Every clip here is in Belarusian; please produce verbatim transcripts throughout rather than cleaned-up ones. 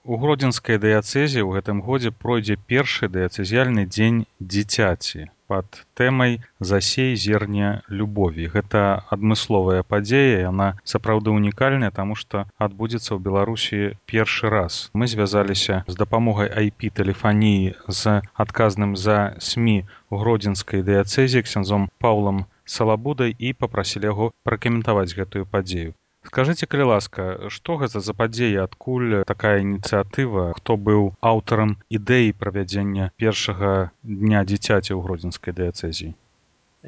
У гродзенскай дыяцэзе ў гэтым годзе пройдзе першы дыяцэзіяльны дзень дзіцяці пад тэмай «Засей зерне любові». Гэта адмысловая падзея, яна сапраўды унікальная, таму што адбудзецца ў Беларусі першы раз. Мы звязаліся з дапамогай ай пі-тэлефаніі з адказным за СМІ ў гродзенскай дыяцэзе ксяндзом Паўлам Салабудай і папрасілі яго пракаментаваць гэтую падзею. Скажыце, калі ласка, што гэта за падзея, адкуль такая ініцыятыва, хто быў аўтарам ідэі правядзення першага дня дзіцяці ў гродзенскай дыяцэзіі?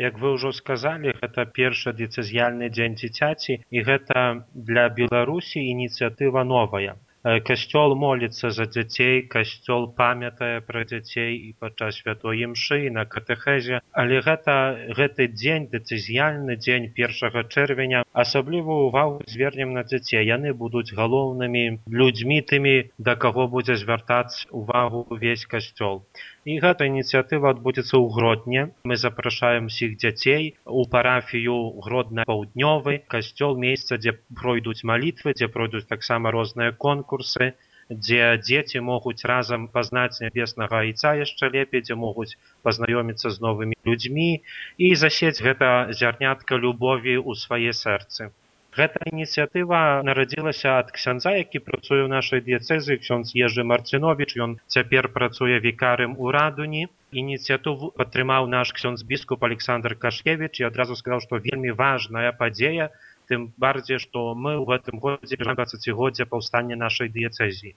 Як вы ўжо сказалі, гэта першы дыяцэзіяльны дзень дзіцяці, і гэта для Беларусі ініцыятыва новая. Касцёл моліцца за дзяцей, касцёл памятае пра дзяцей і падчас святой імшы, і на катэхезе, але гэта гэты дзень, дыцэзіяльны дзень першага чэрвеня, асаблівую ўвагу звернем на дзяцей. Яны будуць галоўнымі людзьмі, тымі, да каго будзе звяртаць увагу ўвесь касцёл. І гэта ініцыятыва адбудзецца ў Гродні. Мы запрашаем усіх дзяцей у парафію Гродна-Паўднёвы, касцёл, месца, дзе пройдуць малітвы, дзе пройдуць таксама розныя конкурсы, дзе дзеці могуць разам пазнаць нябеснага айца яшчэ лепей, дзе могуць пазнаёміцца з новымі людзьмі і засець гэта зярнятка любові ў свае сэрцы. Гэта ініцыятыва нарадзілася ад ксяндза, які працуе ў нашай дыяцэзы, ксёндз Ежы Марціновіч, ён цяпер працуе вікарым у Радуні. Ініцыятыву падтрымаў наш ксёндз біскуп Александр Кашкевіч і адразу сказаў, што вельмі важная падзея, тым барdziej, што мы ў гэтым годзе дваццацігоддзя паўстання нашай дыяцэзіі.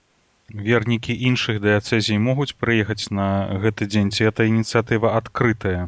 Вернікі іншых дыяцэзій могуць прыехаць на гэты дзень, ці гэта ініцыятыва адкрытая?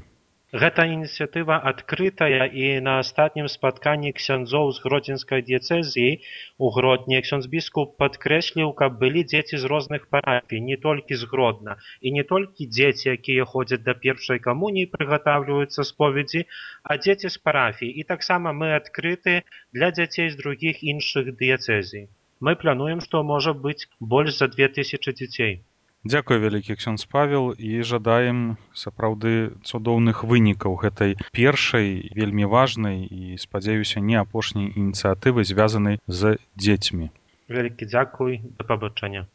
Гэта ініцыятыва адкрытая, і на астатнім спатканні ксяндзоў з гродзенскай дыяцэзіі у Гродні ксёндз біскуп падкрэсліў, каб былі дзеці з розных парафій, не толькі з Гродна, і не толькі дзеці, якія ходзяць да першай камуніі, прыгатаўліваюцца споведзі, а дзеці з парафій. І таксама мы адкрыты для дзяцей з другіх іншых дыяцэзій. Мы плануем, што можа быць больш за две тысячы дзяцей. Дзякуй вялікі, ксёндз Павел, і жадаем сапраўды цудоўных вынікаў гэтай першай, вельмі важнай і, спадзяюся, не апошняй ініцыятывы, звязанай з дзецьмі. Вялікі дзякуй, да пабачэння.